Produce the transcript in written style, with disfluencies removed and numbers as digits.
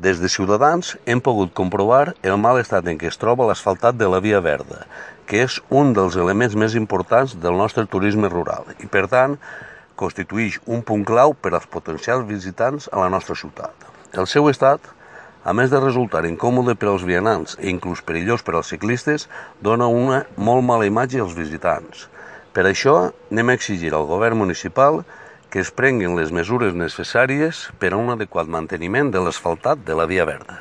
Des de Ciutadans hem pogut comprovar el mal estat en què es troba l'asfaltat de la Via Verda, que és un dels elements més importants del nostre turisme rural i, per tant, constitueix un punt clau per als potencials visitants a la nostra ciutat. El seu estat, a més de resultar incòmode per als vianants i inclús perillós per als ciclistes, dona una molt mala imatge als visitants. Per això, anem a exigir al govern municipal que es prenguin les mesures necessàries per a un adequat manteniment de l'asfaltat de la Via Verda.